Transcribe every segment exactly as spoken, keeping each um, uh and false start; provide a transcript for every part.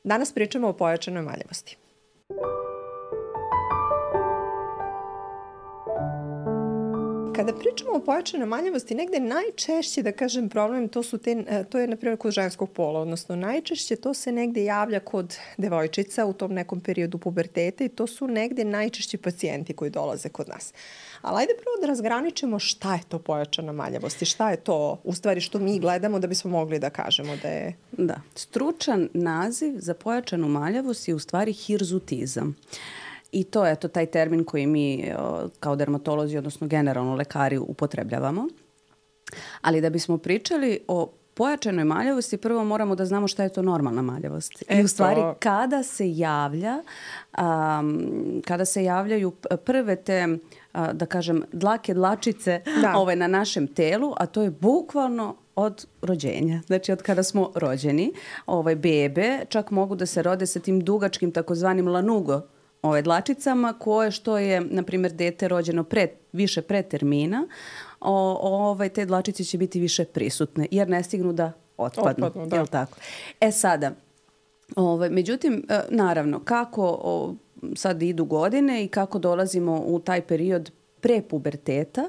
Danas pričamo o pojačanoj maljavosti. Kada pričamo o pojačanoj maljavosti, negde najčešće, da kažem, problem, to, su te, to je, na primjer, kod ženskog pola, odnosno najčešće to se negde javlja kod devojčica u tom nekom periodu puberteta i to su negde najčešći pacijenti koji dolaze kod nas. Ali ajde prvo da razgraničimo šta je to pojačana maljavost i šta je to, u stvari, što mi gledamo da bismo mogli da kažemo da je... Da, stručan naziv za pojačanu maljavost je u stvari hirzutizam. I to je to taj termin koji mi kao dermatolozi, odnosno generalno lekari, upotrebljavamo. Ali da bismo pričali o pojačanoj maljavosti, prvo moramo da znamo šta je to normalna maljavost. I u stvari kada se javlja, um, kada se javljaju prve te, uh, da kažem, dlake, dlačice ove, na našem telu, a to je bukvalno od rođenja. Znači od kada smo rođeni, ovaj, bebe čak mogu da se rode sa tim dugačkim takozvanim lanugo ove dlačicama, koje što je, na primjer, dete rođeno pre, više pre termina, o, ovaj, te dlačice će biti više prisutne, jer ne stignu da otpadnu. otpadnu da. Jel tako? E sada, ovaj, međutim, naravno, kako o, sad idu godine i kako dolazimo u taj period pre puberteta,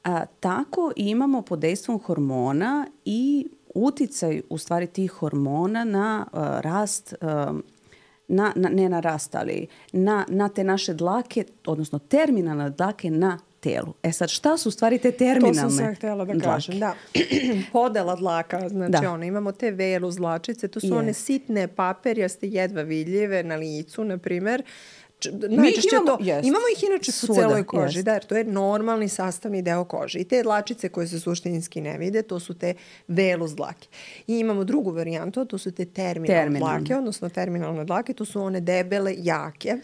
a, tako imamo pod dejstvom hormona i uticaj, u stvari, tih hormona na a, rast a, Na, na, ne na rast, ali na, na te naše dlake, odnosno terminalne dlake na telu. E sad, šta su u stvari te terminalne dlake? To sam sad htjela da kažem, da. Podela dlaka, znači ono, imamo te velus dlačice, to su yes. one sitne paperjaste, jedva vidljive na licu, na primjer. Najčešće imamo, to, yes. imamo ih inače u celoj koži, yes. da, jer to je normalni sastavni deo kože. I te dlačice koje se suštinski ne vide, to su te velus dlake. I imamo drugu varijantu, to su te terminalne, terminalne dlake, odnosno terminalne dlake, to su one debele, jake.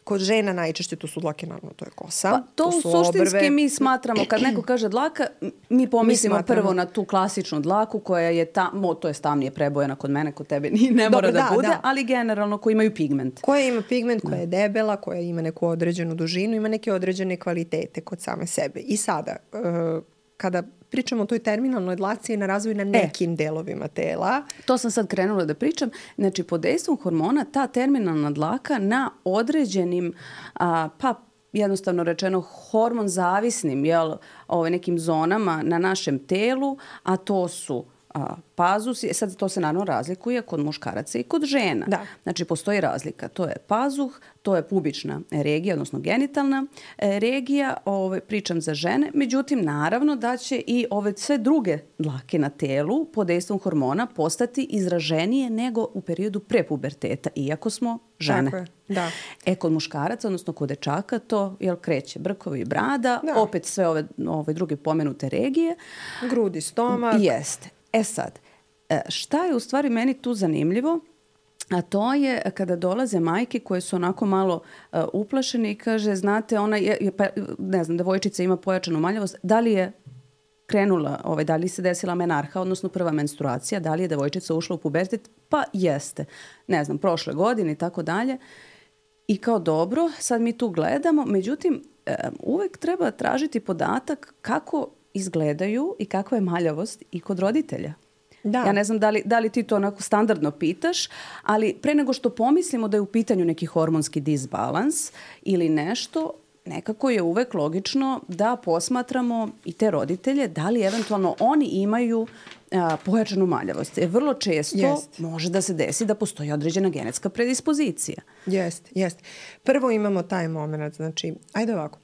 Kod žena najčešće to su dlake, naravno, to je kosa. Pa, to, to su suštinski obrve. Mi smatramo, kad neko kaže dlaka, mi pomislimo mi prvo na tu klasičnu dlaku koja je tamo, to je tamnije prebojena kod mene, kod tebe ne mora Dobre, da, da bude, da. ali generalno koji imaju pigment. Koja ima pigment, koja je debela, koja ima neku određenu dužinu, ima neke određene kvalitete kod same sebe. I sada, uh, kada pričamo o toj terminalnoj dlaci na razvoju na nekim e, delovima tela. To sam sad krenula da pričam. Znači, pod dejstvom hormona ta terminalna dlaka na određenim, a, pa jednostavno rečeno, hormon zavisnim, jel, ove, nekim zonama na našem telu, a to su a, pazus, sad to se naravno razlikuje kod muškaraca i kod žena. Da. Znači, postoji razlika. To je pazuh, to je pubična regija, odnosno genitalna regija, ove, pričam za žene. Međutim, naravno da će i ove sve druge dlake na telu pod dejstvom hormona postati izraženije nego u periodu prepuberteta, iako smo žene. Tako je, da. E, kod muškaraca, odnosno kod dečaka, to jel, kreće brkovi i brada, da. opet sve ove, ove druge pomenute regije. Grudi, stomak. Jeste. E sad, šta je u stvari meni tu zanimljivo? A to je kada dolaze majke koje su onako malo uh, uplašene i kaže, znate, ona je, pa, ne znam, devojčica ima pojačanu maljavost, da li je krenula, ovaj, da li se desila menarha, odnosno prva menstruacija, da li je devojčica ušla u pubertet? Pa jeste. Ne znam, prošle godine i tako dalje. I kao dobro, sad mi tu gledamo, međutim, um, uvek treba tražiti podatak kako izgledaju i kakva je maljavost i kod roditelja. Da. Ja ne znam da li, da li ti to onako standardno pitaš, ali pre nego što pomislimo da je u pitanju neki hormonski disbalans ili nešto, nekako je uvek logično da posmatramo i te roditelje, da li eventualno oni imaju a, pojačanu maljavost. Jer vrlo često jest. može da se desi da postoji određena genetska predispozicija. Jeste, jeste. Prvo imamo taj moment, znači, ajde ovako.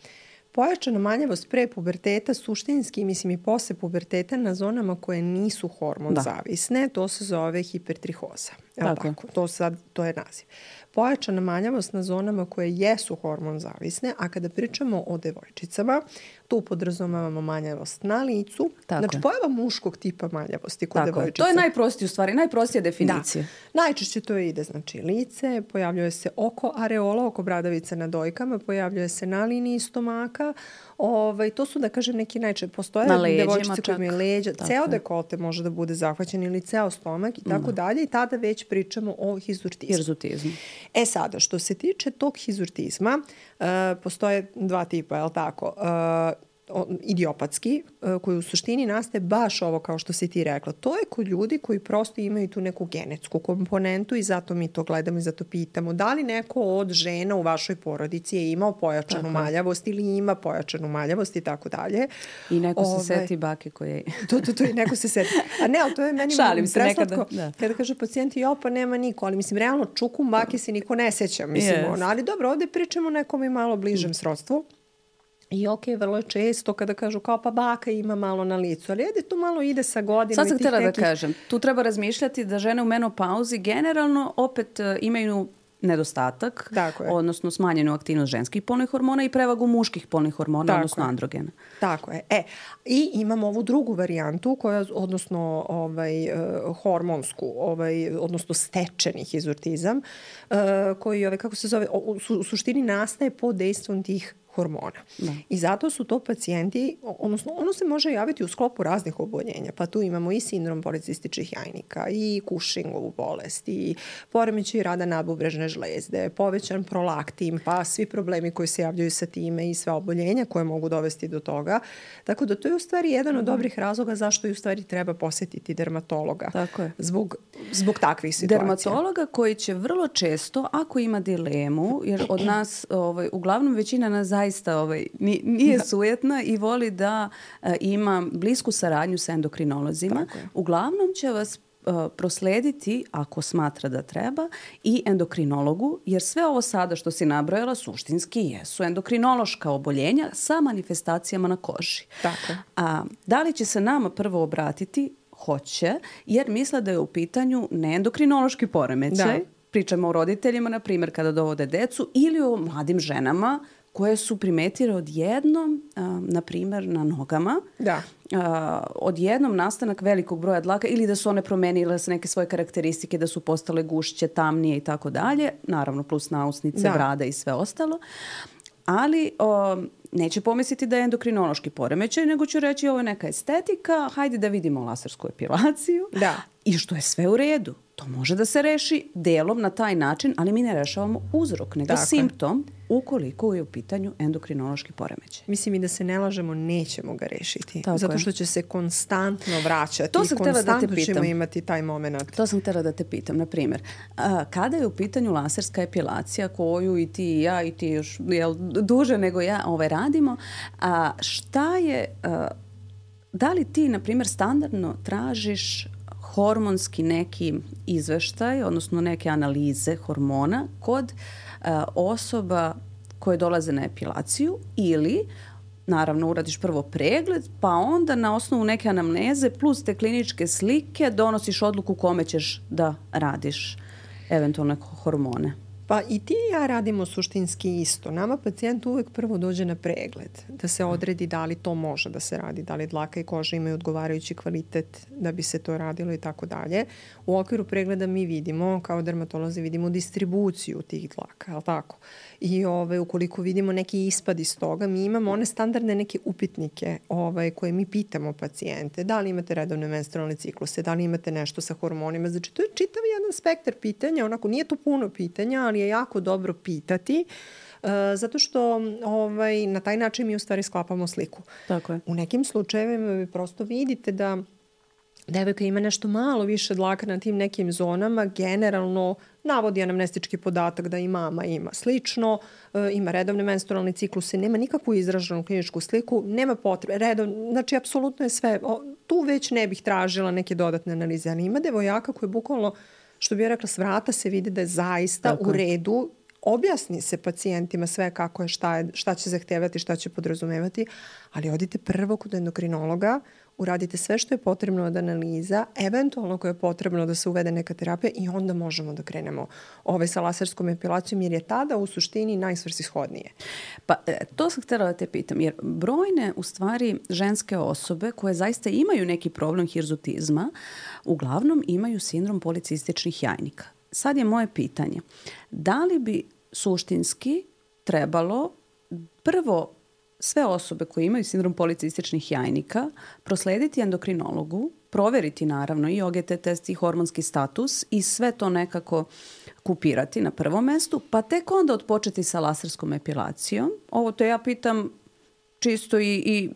Pojačana maljavost pre puberteta suštinski, mislim i posle puberteta na zonama koje nisu hormon da. zavisne, to se zove hipertrihoza. Tako. Tako, to, sad, to je naziv. Pojačana maljavost na zonama koje jesu hormon zavisne, a kada pričamo o devojčicama, tu podrazumevamo maljavost na licu. Tako znači, je. pojava muškog tipa maljavosti kod devojčica. To je najprostije u stvari, najprostija definicija. Da. Najčešće to ide, znači, lice, pojavljuje se oko areola, oko bradavice na dojkama, pojavljuje se na liniji stomaka. Ovaj, to su, da kažem, neki najčešće. Postoje devojčice koje imaju leđa. Tako. Ceo dekolte može da bude zahvaćen ili ceo stomak i tako da. dalje. I tada već pričamo o hizurtizmu. Hirzutizmu. E sada, što se tiče tog hizurtizma, uh, postoje dva tipa, je li tako? Uh, idiopatski, koji u suštini nastaje baš ovo kao što si ti rekla. To je kod ljudi koji prosto imaju tu neku genetsku komponentu i zato mi to gledamo i zato pitamo. Da li neko od žena u vašoj porodici je imao pojačanu tako maljavost ili ima pojačanu maljavost i tako dalje. I neko Ove, se seti bake koje... to, to, to i neko se seti. A ne, ali to je meni Šalim se nekada. Da. Kada kaže pacijenti, jo, pa nema niko, ali mislim, realno čukum bake se niko ne seća. Mislim, yes. ono, ali dobro, ovde pričamo o nekom i malo bližem mm. srodstvu. I ok, vrlo često kada kažu kao pa baka ima malo na licu, ali ajde to malo ide sa godinama. Sad sam htjela nekih... da kažem, tu treba razmišljati da žene u menopauzi generalno opet uh, imaju nedostatak, odnosno smanjenu aktivnost ženskih polnih hormona i prevagu muških polnih hormona, tako odnosno je. androgena. Tako je. E, i imamo ovu drugu varijantu, koja, odnosno ovaj, uh, hormonsku, ovaj, odnosno stečeni hizurtizam, uh, koji, ovaj, kako se zove, u, su, u suštini nastaje pod dejstvom tih hormona. Da. I zato su to pacijenti, odnosno ono se može javiti u sklopu raznih oboljenja, pa tu imamo i sindrom policističnih jajnika, i Cushingovu bolest, i poremećaj rada nadbubrežne žlezde, povećan prolaktin, pa svi problemi koji se javljaju sa time i sve oboljenja koje mogu dovesti do toga. Tako da to je u stvari jedan od dobrih razloga zašto i u stvari treba posjetiti dermatologa. Tako je. Zbog, zbog takvih situacija. Dermatologa koji će vrlo često, ako ima dilemu, jer od nas, ovaj, uglavnom većina nas zaista ovaj, nije sujetna i voli da uh, ima blisku saradnju sa endokrinolozima. Uglavnom će vas uh, proslediti, ako smatra da treba, i endokrinologu, jer sve ovo sada što si nabrojala suštinski jesu endokrinološka oboljenja sa manifestacijama na koži. Tako. A da li će se nama prvo obratiti? Hoće, jer misle da je u pitanju neendokrinološki poremećaj. Da. Pričamo o roditeljima, na primjer, kada dovode decu, ili o mladim ženama koje su primetile odjednom, na primjer, na nogama, da. odjednom nastanak velikog broja dlaka ili da su one promenile se neke svoje karakteristike, da su postale gušće, tamnije i tako dalje, naravno plus nausnice, da. brada i sve ostalo. Ali o, neće pomisliti da je endokrinološki poremećaj, nego ću reći ovo je neka estetika, hajde da vidimo lasersku epilaciju. Da. I što je sve u redu. To može da se reši delom na taj način, ali mi ne rešavamo uzrok, nego Tako simptom ukoliko je u pitanju endokrinološki poremećaj. Mislim i da se ne lažemo, nećemo ga rešiti. Tako zato što će se konstantno vraćati. To sam i konstantno da te ćemo imati taj moment. To sam htjela da te pitam. Na primjer, a, kada je u pitanju laserska epilacija koju i ti i ja i ti još jel, duže nego ja ovaj, radimo, a, šta je, a, da li ti, na primjer, standardno tražiš hormonski neki izveštaj, odnosno neke analize hormona kod uh, osoba koje dolaze na epilaciju ili, naravno, uradiš prvo pregled, pa onda na osnovu neke anamneze plus te kliničke slike donosiš odluku kome ćeš da radiš eventualne hormone. Pa i ti i ja radimo suštinski isto. Nama pacijent uvek prvo dođe na pregled, da se odredi da li to može da se radi, da li dlaka i koža imaju odgovarajući kvalitet da bi se to radilo i tako dalje. U okviru pregleda mi vidimo, kao dermatolozi, vidimo distribuciju tih dlaka, je li tako? I ove, ukoliko vidimo neki ispad iz toga, mi imamo one standardne neke upitnike ove, koje mi pitamo pacijente. Da li imate redovne menstrualne cikluse, da li imate nešto sa hormonima. Znači, to je čitav jedan spektar pitanja, onako nije to puno pitanja, ali je jako dobro pitati, uh, zato što ovaj, na taj način mi u stvari sklapamo sliku. Tako je. U nekim slučajevima vi prosto vidite da devojka ima nešto malo više dlaka na tim nekim zonama, generalno navodi anamnestički podatak da i mama ima slično, uh, ima redovne menstrualne cikluse, nema nikakvu izraženu kliničku sliku, nema potrebe, redovno, znači apsolutno je sve, o, tu već ne bih tražila neke dodatne analize, ali ima devojaka koje bukvalno, što bih ja rekla, s vrata se vidi da je zaista Tako. u redu, objasni se pacijentima sve kako je, šta, je, šta će zahtevati, šta će podrazumevati, ali odite prvo kod endokrinologa, uradite sve što je potrebno od analiza, eventualno koje je potrebno da se uvede neka terapija i onda možemo da krenemo ovaj sa laserskom epilacijom jer je tada u suštini najsvrsishodnije. Pa to sam htjela da te pitam, jer brojne u stvari ženske osobe koje zaista imaju neki problem hirzutizma, uglavnom imaju sindrom policističnih jajnika. Sad je moje pitanje, da li bi suštinski trebalo prvo sve osobe koje imaju sindrom policističnih jajnika proslediti endokrinologu, proveriti naravno i O G T test i hormonski status i sve to nekako kupirati na prvom mestu, pa tek onda odpočeti sa laserskom epilacijom. Ovo to ja pitam čisto i, i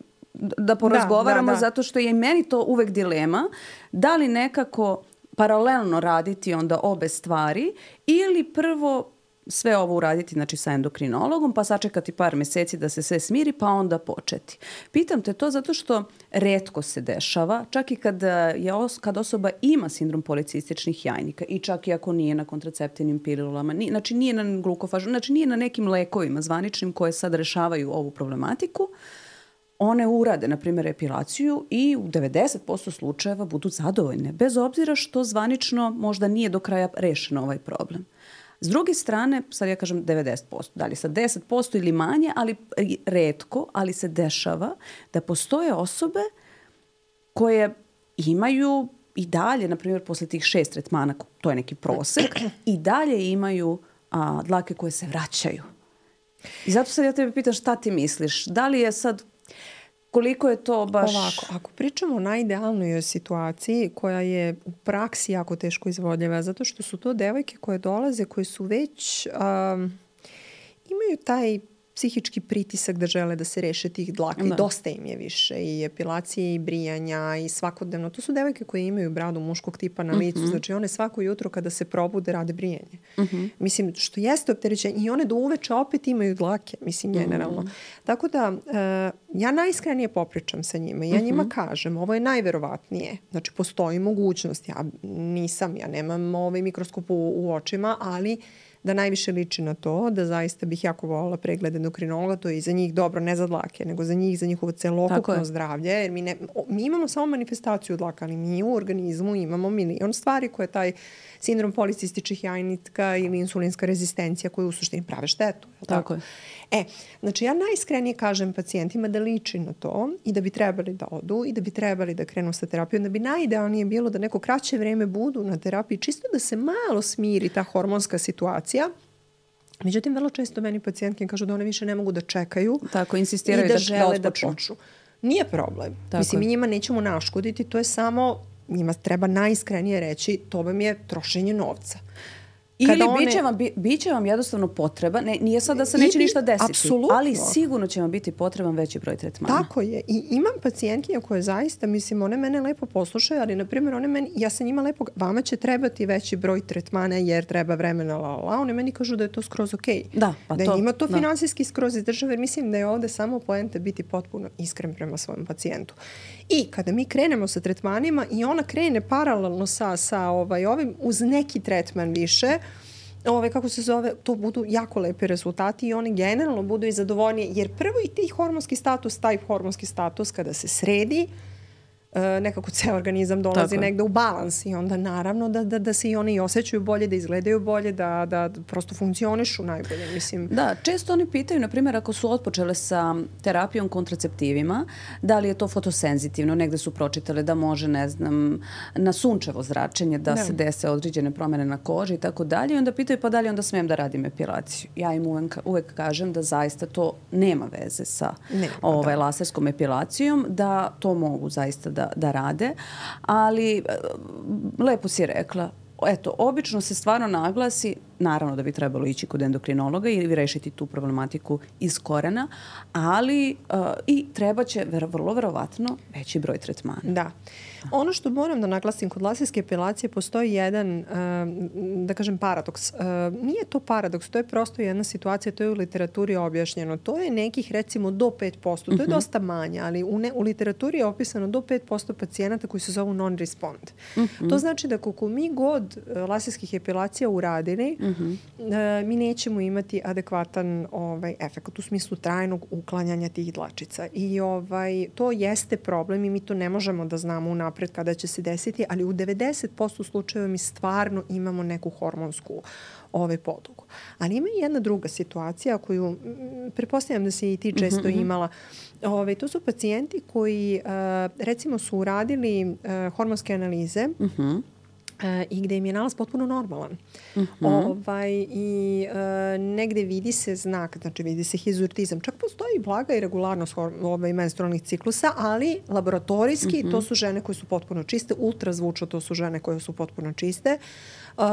da porazgovaramo, da, da, da. zato što je i meni to uvek dilema, da li nekako paralelno raditi onda obe stvari ili prvo sve ovo uraditi, znači sa endokrinologom, pa sačekati par meseci da se sve smiri, pa onda početi. Pitam te to zato što retko se dešava, čak i kad, je os, kad osoba ima sindrom policističnih jajnika i čak i ako nije na kontraceptivnim pilulama, ni, znači nije na glukofažu, znači nije na nekim lekovima zvaničnim koje sad rešavaju ovu problematiku, one urade, na primjer, epilaciju i u devedeset posto slučajeva budu zadovoljne, bez obzira što zvanično možda nije do kraja rešen ovaj problem. S druge strane, sad ja kažem devedeset posto, da li sad deset posto ili manje, ali retko, ali se dešava da postoje osobe koje imaju i dalje, na primjer, posle tih šest tretmana, to je neki prosek, i dalje imaju a, dlake koje se vraćaju. I zato sad ja tebe pitam šta ti misliš? Da li je sad, koliko je to baš... Ovako, ako pričamo o najidealnoj situaciji koja je u praksi jako teško izvodljiva, zato što su to devojke koje dolaze, koje su već... Um, imaju taj psihički pritisak da žele da se reše tih dlaka. I dosta im je više. I epilacije, i brijanja, i svakodnevno. To su devojke koje imaju bradu muškog tipa na licu. Uh-huh. Znači one svako jutro kada se probude rade brijanje. Uh-huh. Mislim, što jeste opterećenje. I one do uveče opet imaju dlake. Mislim, generalno. Uh-huh. Tako da, uh, ja najiskrenije popričam sa njima. Ja uh-huh. njima kažem, ovo je najverovatnije. Znači, postoji mogućnost. Ja nisam, ja nemam ovaj mikroskop u, u očima, ali... da najviše liči na to, da zaista bih jako voljela pregled endokrinologa, to je i za njih dobro, ne za dlake, nego za njih, za njihovo celokupno zdravlje, jer mi, ne, mi imamo samo manifestaciju dlaka, ali mi u organizmu imamo milion stvari koje taj sindrom policističnih jajnika ili insulinska rezistencija koja u suštini prave štetu. Je tako? Tako je. E, znači ja najiskrenije kažem pacijentima da liči na to i da bi trebali da odu i da bi trebali da krenu sa terapijom, da bi najidealnije bilo da neko kraće vreme budu na terapiji, čisto da se malo smiri ta hormonska situacija. Međutim, vrlo često meni pacijentke kažu da one više ne mogu da čekaju. Tako, insistiraju i da, da, žele da, da počnu. Nije problem. Tako Mislim, je. mi njima nećemo naškoditi, to je samo, njima treba najiskrenije reći, to vam je trošenje novca. Ili one... biće, vam, bi, biće vam jednostavno potreba, ne, nije sad da se neće I, ništa desiti, apsolutno. Ali sigurno će vam biti potreban veći broj tretmana. Tako je. I imam pacijentkinja koje zaista, mislim, one mene lepo poslušaju, ali, na primjer, one meni, ja sam njima lepo, vama će trebati veći broj tretmana jer treba vremena, la, la, la. One meni kažu da je to skroz okej. Okay. Da, pa da to. Da njima to da. finansijski skroz izdržava, jer mislim da je ovde samo poenta biti potpuno iskren prema svom pacijentu. I kada mi krenemo sa tretmanima i ona krene paralelno sa, sa ovaj, ovim, uz neki tretman više, Ove, kako se zove, to budu jako lepi rezultati i oni generalno budu i zadovoljnije, jer prvo i ti hormonski status, taj hormonski status kada se sredi, e, nekako ceo organizam dolazi Tako. negde u balans i onda naravno da, da, da se i oni osjećaju bolje, da izgledaju bolje, da, da prosto funkcionišu najbolje. Mislim. Da, često oni pitaju, na primjer, ako su otpočele sa terapijom kontraceptivima, da li je to fotosenzitivno, negde su pročitale da može, ne znam, na sunčevo zračenje da, da. se dese određene promjene na koži i tako dalje. I onda pitaju pa da li onda smijem da radim epilaciju. Ja im uvek, uvek kažem da zaista to nema veze sa nema, ovaj, da. laserskom epilacijom, da to mogu zaista da Da, da rade, ali lepo si rekla, eto, obično se stvarno naglasi, naravno da bi trebalo ići kod endokrinologa ili rešiti tu problematiku iz korena, ali uh, i treba će vrlo verovatno veći broj tretmana. Da. Ono što moram da naglasim, kod laserske epilacije postoji jedan, uh, da kažem, paradoks. Uh, nije to paradoks, to je prosto jedna situacija, to je u literaturi objašnjeno. To je nekih, recimo, do pet posto. To je dosta manje, ali u, ne, u literaturi je opisano do pet posto pacijenata koji se zovu non-respond. Uh-huh. To znači da koliko mi god uh, laserskih epilacija uradili, uh-huh. uh, mi nećemo imati adekvatan ovaj, efekt u smislu trajnog uklanjanja tih dlačica. I ovaj, to jeste problem i mi to ne možemo da znamo u napred kada će se desiti, ali u devedeset posto slučajeva mi stvarno imamo neku hormonsku ovaj podlogu. Ali ima i jedna druga situacija koju m, pretpostavljam da si i ti često mm-hmm. imala. Ove, to su pacijenti koji uh, recimo su uradili uh, hormonske analize mm-hmm. Uh, i gde im je nalaz potpuno normalan. Mm-hmm. Ovaj, I uh, negde vidi se znak, znači vidi se hizurtizam. Čak postoji blaga i regularnost ovaj, menstrualnih ciklusa, ali laboratorijski mm-hmm. to su žene koje su potpuno čiste, ultrazvučno to su žene koje su potpuno čiste. Uh,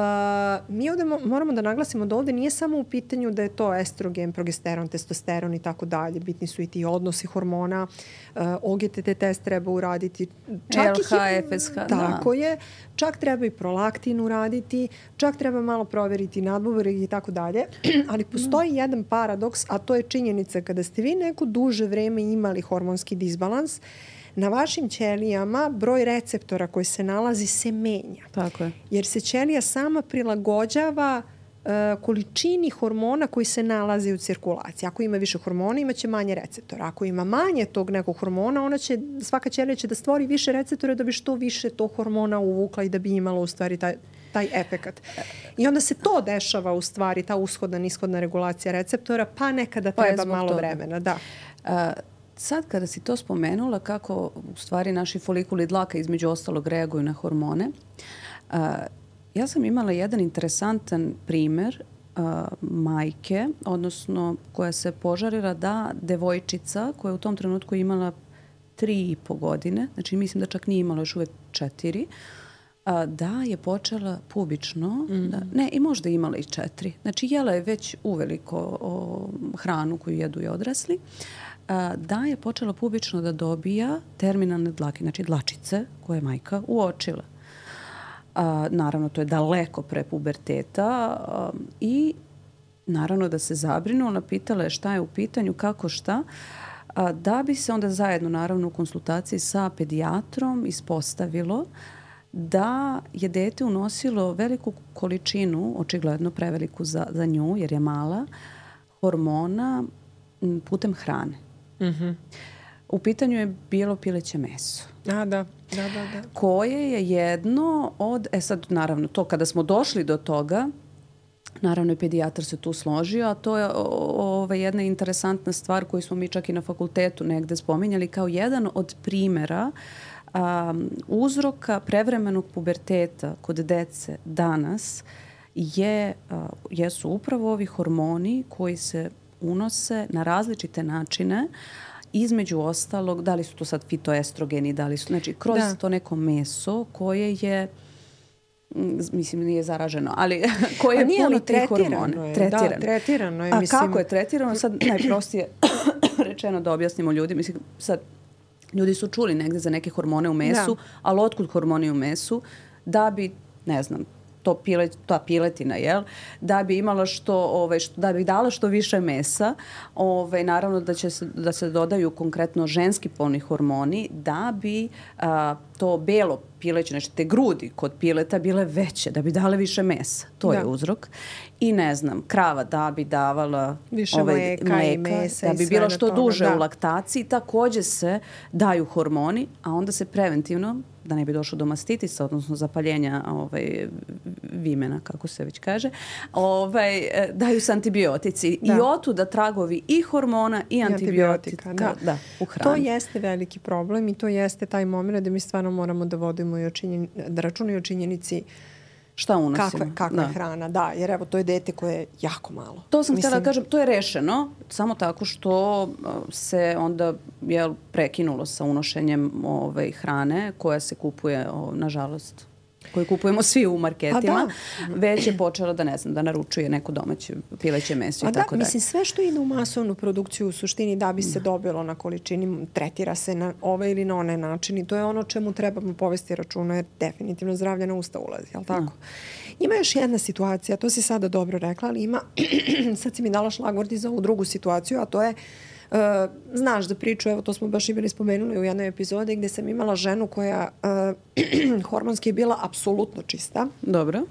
mi ovde mo- moramo da naglasimo da ovde nije samo u pitanju da je to estrogen, progesteron, testosteron i tako dalje. Bitni su i ti odnosi hormona. Uh, O G T T test treba uraditi. Čak L H, ih, F S H, tako da. je. Čak treba i prolaktin uraditi. Čak treba malo proveriti nadbubreg i tako dalje. Ali postoji jedan paradoks, a to je činjenica kada ste vi neko duže vreme imali hormonski disbalans, na vašim ćelijama broj receptora koji se nalazi se menja. Tako je. Jer se ćelija sama prilagođava uh, količini hormona koji se nalazi u cirkulaciji. Ako ima više hormona, imaće manje receptora. Ako ima manje tog nekog hormona, ona će, svaka ćelija će da stvori više receptora da bi što više tog hormona uvukla i da bi imala u stvari taj, taj efekat. I onda se to dešava u stvari, ta ushodna, nishodna regulacija receptora, pa nekada treba pa malo toga. vremena. Da. Uh, Sad kada si to spomenula kako u stvari naši folikuli dlaka između ostalog reaguju na hormone, uh, ja sam imala jedan interesantan primer uh, majke, odnosno koja se požarila da devojčica koja je u tom trenutku imala tri i po godine, znači mislim da čak nije imala još uvek četiri, uh, da je počela pubično, mm-hmm. da, ne i možda imala i četiri, znači jela je već uveliko o, hranu koju jedu i odrasli, da je počela pubično da dobija terminalne dlake, znači dlačice koje je majka uočila. A, naravno, to je daleko pre puberteta a, i naravno da se zabrinula, pitala je šta je u pitanju, kako šta, a, da bi se onda zajedno naravno u konsultaciji sa pedijatrom ispostavilo da je dete unosilo veliku količinu, očigledno preveliku za, za nju jer je mala, hormona putem hrane. Mm-hmm. U pitanju je bilo pileće meso. A, da. Da, da, da. Koje je jedno od, e sad naravno to kada smo došli do toga, naravno i pedijatar se tu složio, a to je ova jedna interesantna stvar koju smo mi čak i na fakultetu negde spominjali kao jedan od primera um, uzroka prevremenog puberteta kod dece danas je, uh, jesu upravo ovi hormoni koji se unose na različite načine, između ostalog, da li su to sad fitoestrogeni, da li su, znači kroz da. to neko meso koje je, mislim nije zaraženo, ali koje je puno tih hormona. Je, tretirano. Da, tretirano je. A mislim... kako je tretirano? Sad najprostije rečeno da objasnimo ljudi, mislim sad ljudi su čuli negde za neke hormone u mesu, da. ali otkud hormoni u mesu? Da bi, ne znam, to pile, ta piletina, jel? Da bi imala što, ovaj, što, da bi dala što više mesa, ovaj, naravno da će se, da se dodaju konkretno ženski polni hormoni da bi a, to belo pileće, znači te grudi kod pileta bile veće, da bi dale više mesa. To da. je uzrok. I ne znam, krava da bi davala više ovaj, mleka, mleka i mesa da bi i bilo što toga, duže da. u laktaciji, takođe se daju hormoni, a onda se preventivno, da ne bi došlo do mastitisa, odnosno zapaljenja ovaj, vimena, kako se već kaže, ovaj, daju se antibiotici. Da. I otuda tragovi i hormona i, I antibiotika, antibiotika da. Da, u hrani. To jeste veliki problem i to jeste taj moment da mi stvarno moramo da vodimo i o činjeni, da računaju o činjenici šta unosimo. Kakva, kakva da. je hrana, da. Jer evo, to je dete koje je jako malo. To sam Mislim... htjela da kažem, to je rešeno samo tako što se onda jel, prekinulo sa unošenjem ovaj, hrane koja se kupuje, o, nažalost, koju kupujemo svi u marketima, već je počela da, ne znam, da naručuje neko domaće pileće meso i tako dalje. Da, mislim, sve što ide u masovnu produkciju u suštini da bi se dobilo na količini, tretira se na ovaj ili na onaj način i to je ono čemu trebamo povesti računa jer definitivno zdravlje na usta ulazi, jel tako? Da. Ima još jedna situacija, to si sada dobro rekla, ali ima, sad si mi dala šlagvort i za ovu drugu situaciju, a to je Uh, znaš da priču, evo to smo baš i bili spomenuli u jednoj epizodi gdje sam imala ženu koja uh, hormonski je bila apsolutno čista. Dobro.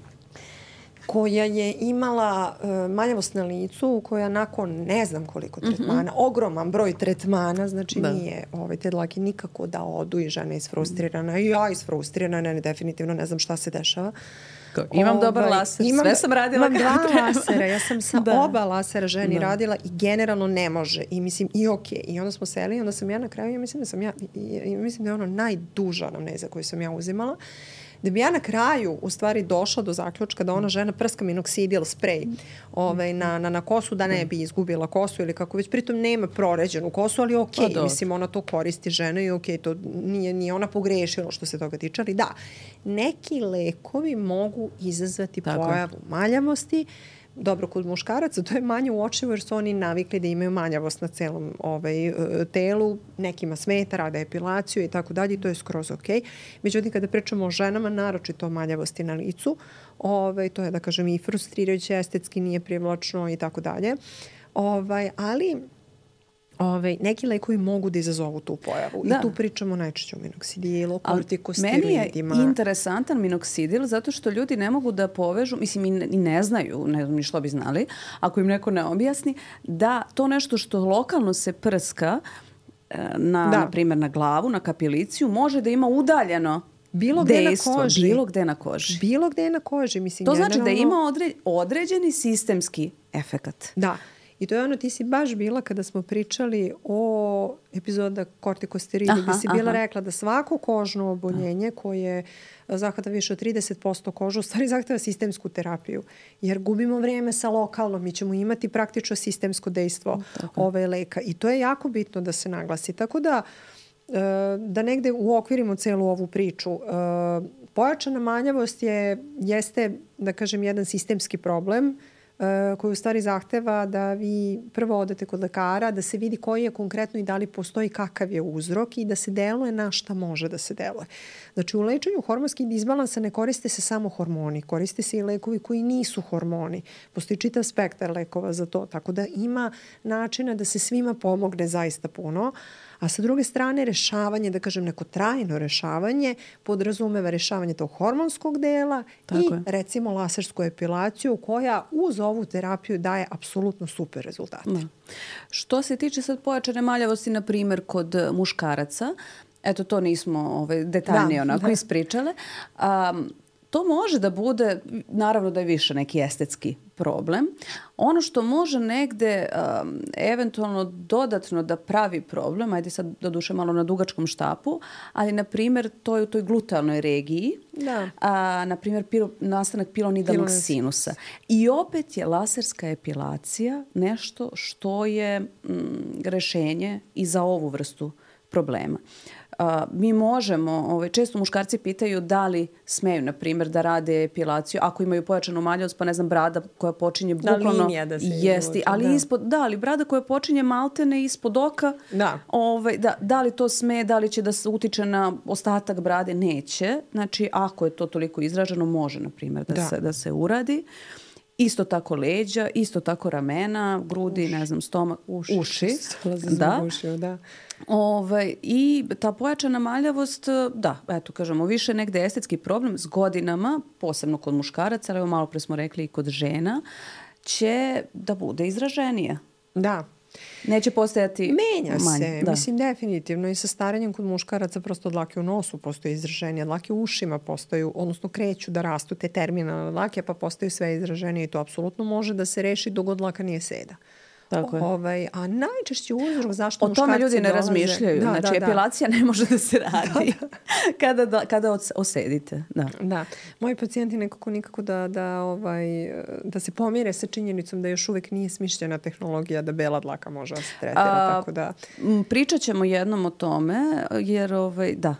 Koja je imala uh, manjavost na licu, koja nakon ne znam koliko tretmana, mm-hmm. ogroman broj tretmana, znači da. nije ovaj, te dlake nikako da odu i žena je isfrustrirana i ja isfrustrirana, ne, definitivno ne znam šta se dešava. Imam dobar ovaj, laser, imam, sve sam radila imam dva treba. lasera, ja sam sa da. oba lasera ženi da. radila i generalno ne može i mislim i ok. I onda smo seli i onda sam ja na kraju, ja mislim da sam ja, i, i mislim da je ono najduža anamneza koju sam ja uzimala. Da bi ja na kraju u stvari došla do zaključka da ona žena prska minoksidil sprej ovaj, na, na, na kosu da ne bi izgubila kosu ili kako već, pritom nema proređenu kosu, ali ok, pa mislim ona to koristi žena i ok, to nije, nije ona pogrešila što se toga tiče, ali da, neki lekovi mogu izazvati tako pojavu maljavosti. Dobro, kod muškaraca to je manje uočljivo jer su oni navikli da imaju manjavost na celom ovaj, telu, nekima smeta, rade epilaciju i tako dalje i to je skroz ok. Međutim, kada pričamo o ženama, naročito o manjavosti na licu, ovaj, to je da kažem i frustrirajuće, estetski nije privlačno i tako dalje. Ovaj, ali Ove, neki lekovi mogu da izazovu tu pojavu. Da. I tu pričamo najčešće o minoksidilu, kortikosteroidima. Meni je interesantan minoksidil zato što ljudi ne mogu da povežu, mislim i ne, i ne znaju, ne znam ni što bi znali, ako im neko ne objasni, da to nešto što lokalno se prska na, na primjer na glavu, na kapiliciju, može da ima udaljeno bilo gde dejstvo, na koži. Bilo gde na koži. Bilo gde na koži. Mislim, to generalno... znači da ima odre, određeni sistemski efekat. Da. I to je ono, ti si baš bila kada smo pričali o epizoda kortikosteroidi, gdje si bila aha. rekla da svako kožno oboljenje koje zahvata više od trideset posto kožu, u stvari zahteva sistemsku terapiju. Jer gubimo vrijeme sa lokalnom, mi ćemo imati praktično sistemsko dejstvo ove leka. I to je jako bitno da se naglasi. Tako da, da negde uokvirimo celu ovu priču. Pojačana manjavost je, jeste, da kažem, jedan sistemski problem koji u stvari zahteva da vi prvo odete kod lekara, da se vidi koji je konkretno i da li postoji kakav je uzrok i da se deluje na šta može da se deluje. Znači u lečenju hormonskih disbalansa ne koriste se samo hormoni, koriste se i lekovi koji nisu hormoni. Postoji čitav spektar lekova za to, tako da ima načina da se svima pomogne zaista puno. A sa druge strane, rešavanje, da kažem neko trajno rešavanje, podrazumeva rešavanje tog hormonskog dela tako i je. recimo lasersku epilaciju koja uz ovu terapiju daje apsolutno super rezultate. Da. Što se tiče sad pojačane maljavosti, na primjer, kod muškaraca, eto to nismo ovaj, detaljnije da, onako da. ispričale, um, to može da bude, naravno da je više neki estetski problem. Ono što može negde um, eventualno dodatno da pravi problem, ajde sad doduše malo na dugačkom štapu, ali na primjer to je u toj glutealnoj regiji, da. a, na primjer pilo, nastanak pilonidalnog Pilonid. sinusa. I opet je laserska epilacija nešto što je mm, rešenje i za ovu vrstu problema. Uh, mi možemo, ovaj, često muškarci pitaju da li smeju, na primjer, da rade epilaciju ako imaju pojačanu maljavost, pa ne znam, brada koja počinje bukvalno... Da, linija da se jesti, ali da. Ispod, da, ali brada koja počinje maltene ispod oka, da. Ovaj, da, da li to sme, da li će da se utiče na ostatak brade, neće. Znači, ako je to toliko izraženo, može, na primjer, da, da. Se, da se uradi. Isto tako leđa, isto tako ramena, grudi, uši. ne znam, stomak, uši. uši. Da. Uši, da. Ovaj, i ta pojačana maljavost, da, eto, kažemo, više negde estetski problem s godinama, posebno kod muškaraca, ali evo malo pre smo rekli i kod žena, će da bude izraženija. Da. Neće postojati Menja manje. se, Da. mislim definitivno i sa starenjem kod muškaraca prosto dlake u nosu postoje izraženije, dlake u ušima postaju, odnosno kreću da rastu te terminalne dlake pa postaju sve izraženije i to apsolutno može da se reši dok god dlaka nije seda. Tako je. Ovaj, a najčešći uzrok zašto o muškarci tome ljudi ne dolaze... razmišljaju. Da, znači, da, epilacija da. ne može da se radi da, da. kada, da, kada osedite. Da. Da. Moji pacijenti nekako nikako da, da, ovaj, da se pomire sa činjenicom da još uvek nije smišljena tehnologija da bela dlaka može da se tretira. A, tako da... Pričat ćemo jednom o tome, jer ovaj, da,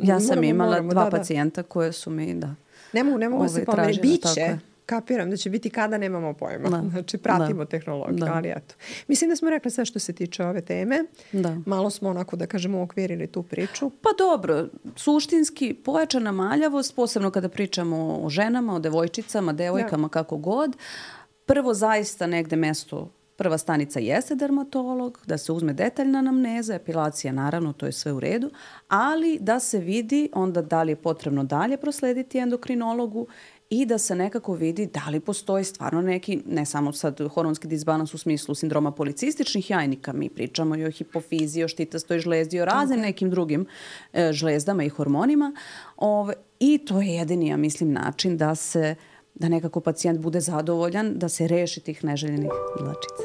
ja sam moramo, imala moramo, dva da, pacijenta da. koje su mi, da. Ne mogu, ne mogu ovaj, se pomeriti. Biće. Kapiram da će biti kada nemamo pojma. Da. Znači, pratimo da. tehnologiju, da. ali eto. Mislim da smo rekli sve što se tiče ove teme. Da. Malo smo onako, da kažemo, okvirili tu priču. Pa dobro, suštinski pojačana maljavost, posebno kada pričamo o ženama, o devojčicama, devojkama, da. kako god. Prvo zaista negde mesto, prva stanica jeste dermatolog, da se uzme detaljna anamneza, epilacija naravno, to je sve u redu, ali da se vidi onda da li je potrebno dalje proslediti endokrinologu i da se nekako vidi da li postoji stvarno neki, ne samo sad hormonski disbalans u smislu sindroma policističnih jajnika, mi pričamo i o hipofiziji, o štitastoj žlezdi, o raznim nekim drugim e, žlezdama i hormonima. Ove, I to je jedini, ja mislim, način da se, da nekako pacijent bude zadovoljan, da se reši tih neželjenih dlačica.